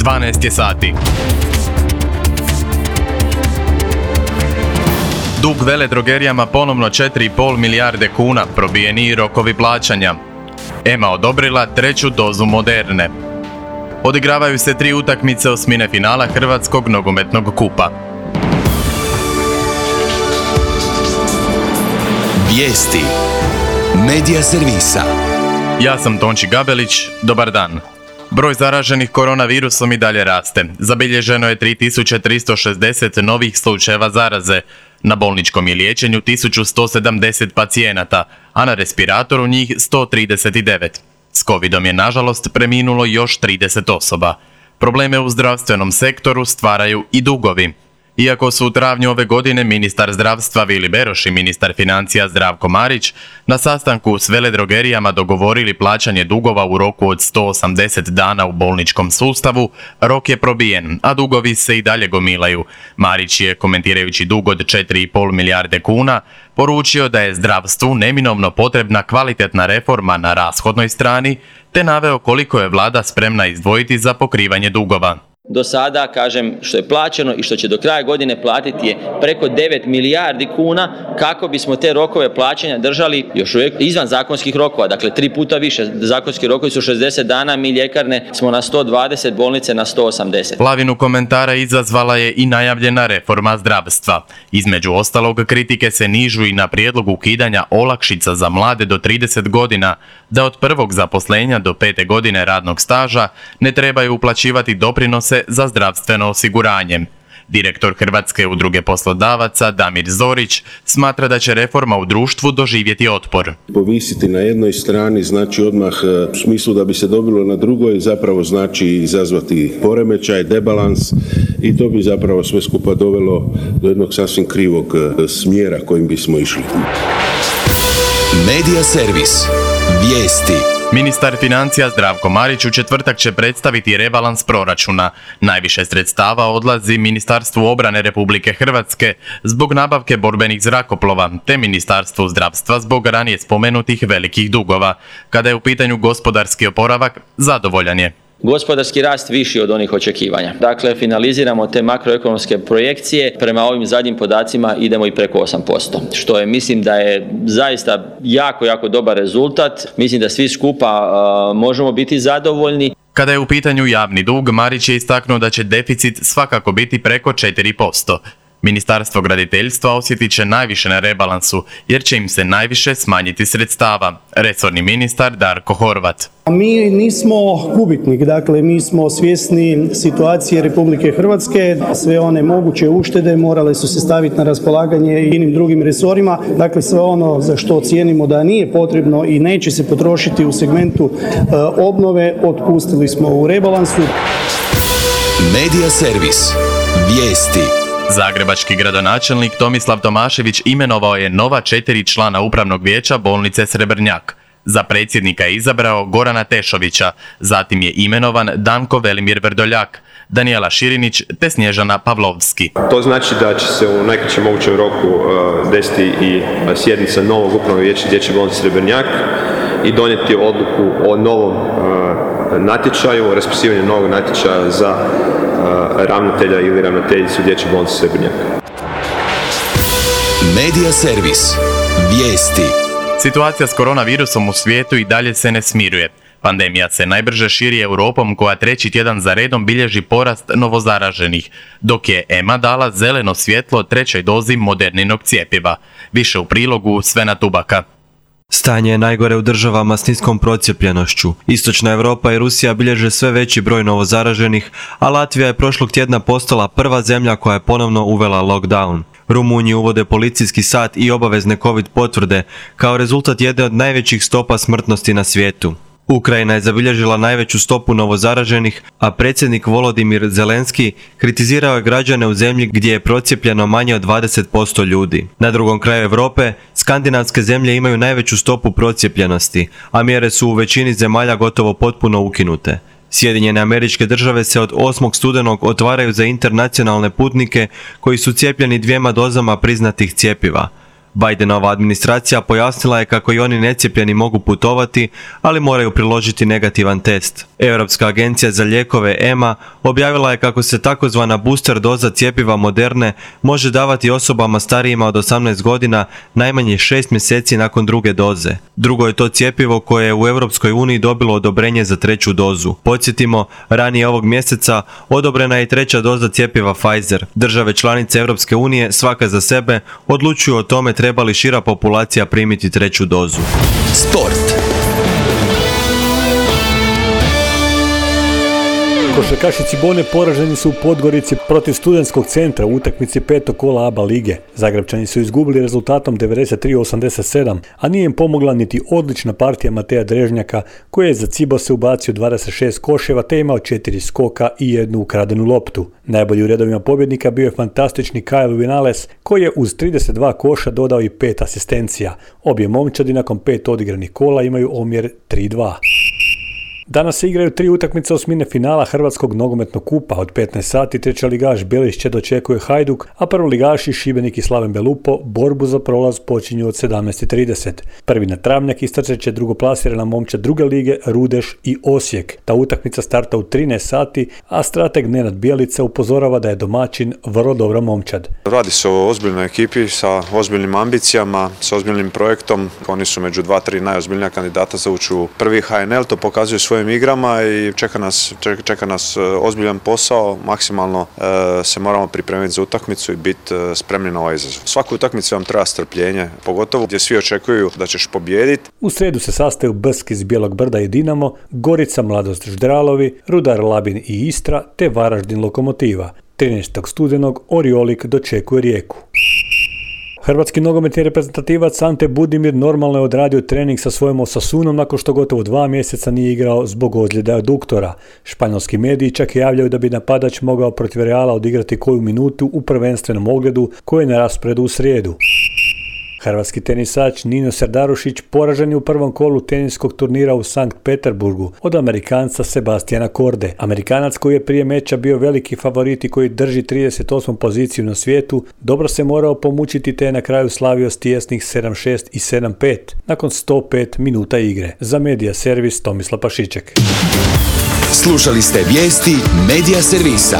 12 je sati. Dug veledrogerijama ponovno 4,5 milijarde kuna, probijeni rokovi plaćanja. EMA odobrila 3. dozu Moderne. Odigravaju se 3 utakmice osmine finala Hrvatskog nogometnog kupa. Vijesti Medija servisa. Ja sam Tonči Gabelić, dobar dan. Broj zaraženih koronavirusom i dalje raste. Zabilježeno je 3360 novih slučajeva zaraze. Na bolničkom je liječenju 1170 pacijenata, a na respiratoru njih 139. S covidom je nažalost preminulo još 30 osoba. Probleme u zdravstvenom sektoru stvaraju i dugovi. Iako su u travnju ove godine ministar zdravstva Vili Beroš i ministar financija Zdravko Marić na sastanku s veledrogerijama dogovorili plaćanje dugova u roku od 180 dana u bolničkom sustavu, rok je probijen, a dugovi se i dalje gomilaju. Marić je, komentirajući dug od 4,5 milijarde kuna, poručio da je zdravstvu neminovno potrebna kvalitetna reforma na rashodnoj strani, te naveo koliko je vlada spremna izdvojiti za pokrivanje dugova. Do sada, kažem, što je plaćeno i što će do kraja godine platiti je preko 9 milijardi kuna kako bismo te rokove plaćanja držali još uvijek izvan zakonskih rokova, dakle 3 puta više. Zakonski rokovi su 60 dana, mi ljekarne smo na 120, bolnice na 180. Lavinu komentara izazvala je i najavljena reforma zdravstva. Između ostalog, kritike se nižu i na prijedlog ukidanja olakšica za mlade do 30 godina, da od prvog zaposlenja do 5. godine radnog staža ne trebaju uplaćivati doprinose za zdravstveno osiguranje. Direktor Hrvatske udruge poslodavaca Damir Zorić smatra da će reforma u društvu doživjeti otpor. Povisiti na jednoj strani znači odmah u smislu da bi se dobilo na drugoj, zapravo znači izazvati poremećaj, debalans i to bi zapravo sve skupa dovelo do jednog sasvim krivog smjera kojim bismo išli. Medija servis. Vijesti. Ministar financija Zdravko Marić u četvrtak će predstaviti rebalans proračuna. Najviše sredstava odlazi Ministarstvu obrane Republike Hrvatske zbog nabavke borbenih zrakoplova, te Ministarstvu zdravstva zbog ranije spomenutih velikih dugova. Kada je u pitanju gospodarski oporavak, zadovoljan je. Gospodarski rast viši od onih očekivanja. Dakle, finaliziramo te makroekonomske projekcije. Prema ovim zadnjim podacima idemo i preko 8%, što je, mislim da je zaista jako dobar rezultat. Mislim da svi skupa možemo biti zadovoljni. Kada je u pitanju javni dug, Marić je istaknuo da će deficit svakako biti preko 4%. Ministarstvo graditeljstva osjetit će najviše na rebalansu, jer će im se najviše smanjiti sredstava. Resorni ministar Darko Horvat. Mi nismo gubitnik, dakle mi smo svjesni situacije Republike Hrvatske. Sve one moguće uštede morale su se staviti na raspolaganje i inim drugim resorima. Dakle, sve ono za što cijenimo da nije potrebno i neće se potrošiti u segmentu obnove, otpustili smo u rebalansu. Medija servis. Vijesti. Zagrebački gradonačelnik Tomislav Tomašević imenovao je nova 4 člana upravnog vijeća bolnice Srebrnjak. Za predsjednika je izabrao Gorana Tešovića, zatim je imenovan Danko Velimir Vrdoljak, Danijela Širinić te Snježana Pavlovski. To znači da će se u najkraćem mogućem roku desiti i sjednica novog upravnog vijeća Dječje bolnice Srebrnjak i donijeti odluku o novom natječaju, raspisivanju novog natječaja za ravnatelja ili ravnateljicu Dječje bolnice Srebrnjak. Medija servis. Vijesti. Situacija s koronavirusom u svijetu i dalje se ne smiruje. Pandemija se najbrže širi Europom koja 3. tjedan za redom bilježi porast novozaraženih, dok je EMA dala zeleno svjetlo 3. dozi Moderninog cjepiva. Više u prilogu Svena Tubaka. Stanje je najgore u državama s niskom procijepljenošću. Istočna Europa i Rusija bilježe sve veći broj novozaraženih, a Latvija je prošlog tjedna postala prva zemlja koja je ponovno uvela lockdown. Rumunji uvode policijski sat i obavezne COVID potvrde kao rezultat jedne od najvećih stopa smrtnosti na svijetu. Ukrajina je zabilježila najveću stopu novozaraženih, a predsjednik Volodimir Zelenski kritizirao je građane u zemlji gdje je procijepljeno manje od 20% ljudi. Na drugom kraju Europe, skandinavske zemlje imaju najveću stopu procijepljenosti, a mjere su u većini zemalja gotovo potpuno ukinute. Sjedinjene Američke Države se od 8. studenog otvaraju za internacionalne putnike koji su cijepljeni 2 dozama priznatih cjepiva. Bidenova administracija pojasnila je kako i oni necijepljeni mogu putovati, ali moraju priložiti negativan test. Europska agencija za lijekove EMA objavila je kako se takozvana booster doza cjepiva Moderne može davati osobama starijima od 18 godina najmanje 6 mjeseci nakon druge doze. Drugo je to cjepivo koje je u Europskoj uniji dobilo odobrenje za treću dozu. Podsjetimo, ranije ovog mjeseca odobrena je i treća doza cjepiva Pfizer. Države članice Europske unije svaka za sebe odlučuju o tome treba li šira populacija primiti treću dozu. Sport. Košarkaši Cibone poraženi su u Podgorici protiv Studentskog centra u utakmici 5. kola ABA lige. Zagrebčani su izgubili rezultatom 93-87, a nije im pomogla niti odlična partija Mateja Drežnjaka, koji je za Cibose ubacio 26 koševa te imao 4 skoka i jednu ukradenu loptu. Najbolji u redovima pobjednika bio je fantastični Kyle Vinales, koji je uz 32 koša dodao i 5 asistencija. Obje momčadi nakon 5 odigranih kola imaju omjer 3:2. Danas se igraju 3 utakmice osmine finala Hrvatskog nogometnog kupa. Od 15 sati trećeligaš Belišće dočekuje Hajduk, a prvoligaši Šibenik i Slaven Belupo borbu za prolaz počinju od 17:30. Prvi na travnjak istrčat će drugoplasirana momčad druge lige Rudeš i Osijek. Ta utakmica starta u 13 sati, a strateg Nenad Bijelica upozorava da je domaćin vrlo dobra momčad. Radi se o ozbiljnoj ekipi sa ozbiljnim ambicijama, sa ozbiljnim projektom. Oni su među 2-3 najozbiljnija kandidata za ući u prvi HNL, to pokazuju svojim igrama i čeka nas ozbiljan posao, maksimalno se moramo pripremiti za utakmicu i biti spremni na ovaj izazov. Svaku utakmicu vam treba strpljenje, pogotovo gdje svi očekuju da ćeš pobijediti. U sredu se sastaju Brsk iz Bijelog Brda i Dinamo, Gorica, Mladost Ždralovi, Rudar Labin i Istra te Varaždin Lokomotiva. 13. studenog Oriolik dočekuje Rijeku. Hrvatski nogometni reprezentativac Ante Budimir normalno je odradio trening sa svojom Osasunom nakon što gotovo 2 mjeseca nije igrao zbog ozljeda aduktora. Španjolski mediji čak javljaju da bi napadač mogao protiv Reala odigrati koju minutu u prvenstvenom ogledu koji je na rasporedu u srijedu. Hrvatski tenisač Nino Serdarušić poražen je u prvom kolu teniskog turnira u Sankt Peterburgu od Amerikanca Sebastiana Korde. Amerikanac koji je prije meča bio veliki favorit i koji drži 38. poziciju na svijetu, dobro se morao pomučiti te je na kraju slavio s tijesnih 7-6 i 7-5 nakon 105 minuta igre. Za Medija Servis Tomislav Pašiček. Slušali ste vijesti Medija Servisa.